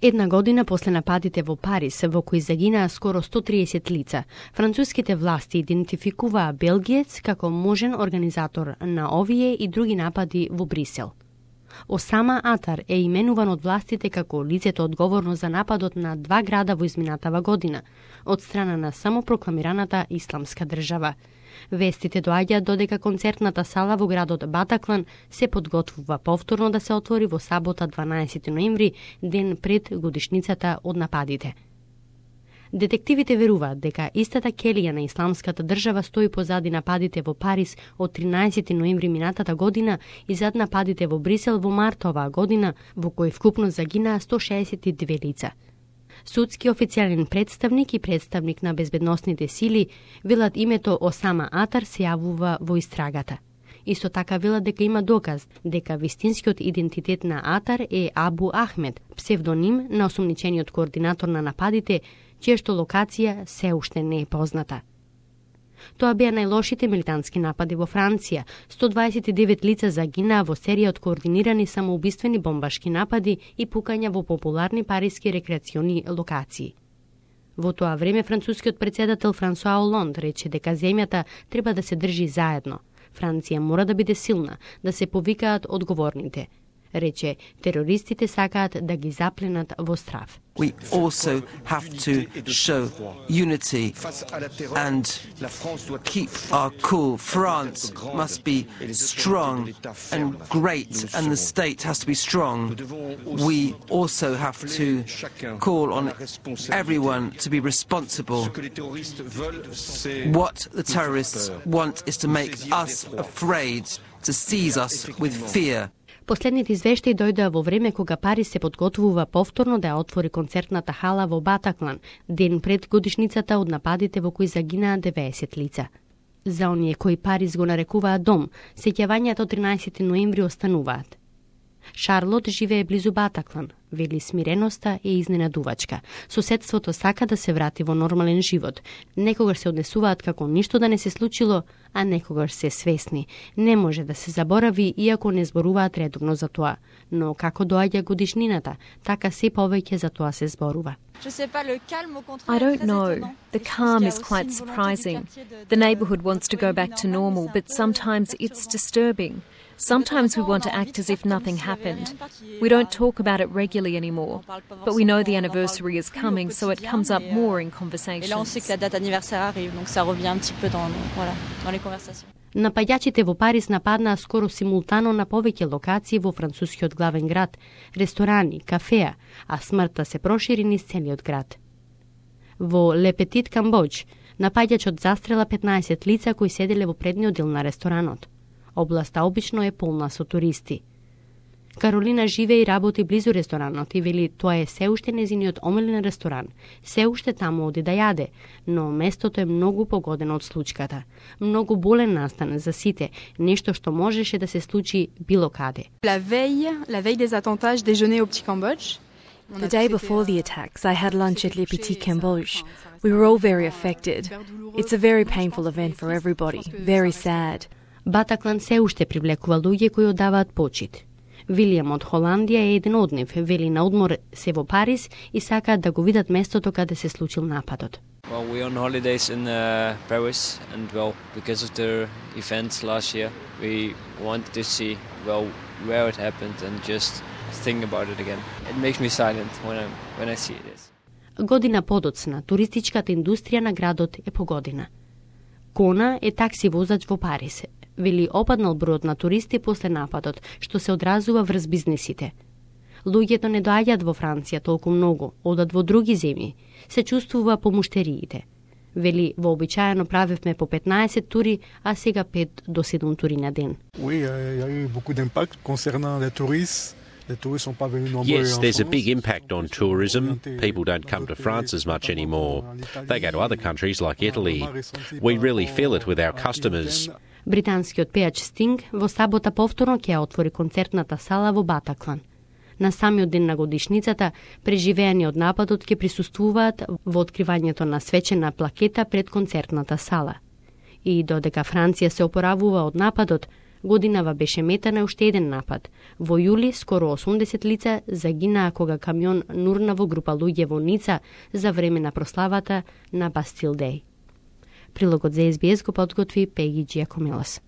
Една година после нападите во Париз, во кои загинаа скоро 130 лица, француските власти идентификуваа белгиец како можен организатор на овие и други напади во Брисел. Осама Атар е именуван од властите како лицето одговорно за нападот на 2 града во изминатава година, од страна на самопрокламираната Исламска држава. Вестите доаѓаат додека концертната сала во градот Батаклан се подготвува повторно да се отвори во сабота 12 ноември, ден пред годишницата од нападите. Детективите веруваат дека истата келија на Исламската држава стои позади нападите во Париз од 13 ноември минатата година и зад нападите во Брисел во март оваа година, во кои вкупно загинаа 162 лица. Судски официјален представник и представник на безбедносните сили велат името Осама Атар се јавува во истрагата. Исто така велат дека има доказ дека вистинскиот идентитет на Атар е Абу Ахмед, псевдоним на осомничениот координатор на нападите, чијашто локација се уште не е позната. Тоа беа најлошите милитантски напади во Франција. 129 лица загинаа во серија од координирани самоубиствени бомбашки напади и пукања во популарни париски рекреациони локации. Во тоа време францускиот претседател Франсуа Олонд рече дека земјата треба да се држи заедно. Франција мора да биде силна, да се повикаат одговорните. Рече, терористите сакаат да ги запленат во страв. We also have to show unity and keep our cool. France must be strong and great, and the state has to be strong. We also have to call on everyone to be responsible. What the terrorists want is to make us afraid, to seize us with fear. Последните извештаи дојдоа во време кога Париз се подготвува повторно да ја отвори концертната хала во Батаклан, ден пред годишницата од нападите во кои загинаа 90 лица. За оние кои Париз го нарекуваат дом, сеќавањата од 13 ноември остануваат. Шарлот живее близу Батаклан, вели смиреноста е изненадувачка. Соседството сака да се врати во нормален живот. Некогаш се однесуваат како ништо да не се случило, а некогаш се свесни. Не може да се заборави, иако не зборуваат редовно за тоа. Но како доаѓа годишнината, така се повеќе за тоа се зборува. I don't know. The calm is quite surprising. The neighbourhood wants to go back to normal, but sometimes it's disturbing. Sometimes we want to act as if nothing happened. We don't talk about it regularly anymore, but we know the anniversary is coming, so it comes up more in conversations. Напаѓачите во Париз нападнаа скоро симултано на повеќе локации во францускиот главен град, ресторани, кафеа, а смртта се прошири низ целиот град. Во Ле Петит Камбодж, напаѓачот застрела 15 лица кои седеле во предниот дел на ресторанот. Областа обично е полна со туристи. Каролина живее и работи близу ресторанот и вели тоа е се уште незиниот омилен ресторан, се уште таму оди да јаде, но местото е многу погодено од случката. Многу болен настан за сите, нешто што можеше да се случи било каде. La veille des attentats, je déjeunais au Petit Cambodge. The day before the attacks, I had lunch at Le Petit Cambodge. We were all very affected. It's a very painful event for everybody, very sad. Батаклан се уште привлекува луѓе кои одаваат почит. Вилијам од Холандија е еден од нив, вели на одмор се во Париз и сакаат да го видат местото каде се случил нападот. Well, we're on holidays in Paris, and because of the events last year, we wanted to see where it happened and just think about it again. It makes me silent when I see this. Година подоцна, туристичката индустрија на градот е погодена. Кона е такси возач во Париз. Вели опаднал бројот на туристи после нападот, што се одразува врз бизнисите. Луѓето не доаѓаат во Франција толку многу, одат во други земји. Се чувствува по муштериите. Вели, вообичаено правевме по 15 тури, а сега 5 до 7 тури на ден. Oui, il y a eu beaucoup d'impact concernant les touristes. Yes, there's a big impact on tourism. People don't come to France as much anymore. They go to other countries like Italy. We really feel it with our customers. Британскиот пејач Стинг во сабота повторно ќе ја отвори концертната сала во Батаклан. На самиот ден на годишницата, преживеани од нападот ќе присуствуваат во откривањето на свечена плакета пред концертната сала. И додека Франција се опоравува од нападот, Годинава беше мета на уште еден напад. Во јули скоро 80 лица загинаа кога камион нурна во група луѓе во Ница за време на прославата на Бастил Деј. Прилогот за SBS го подготви Пеги Джиакомелос.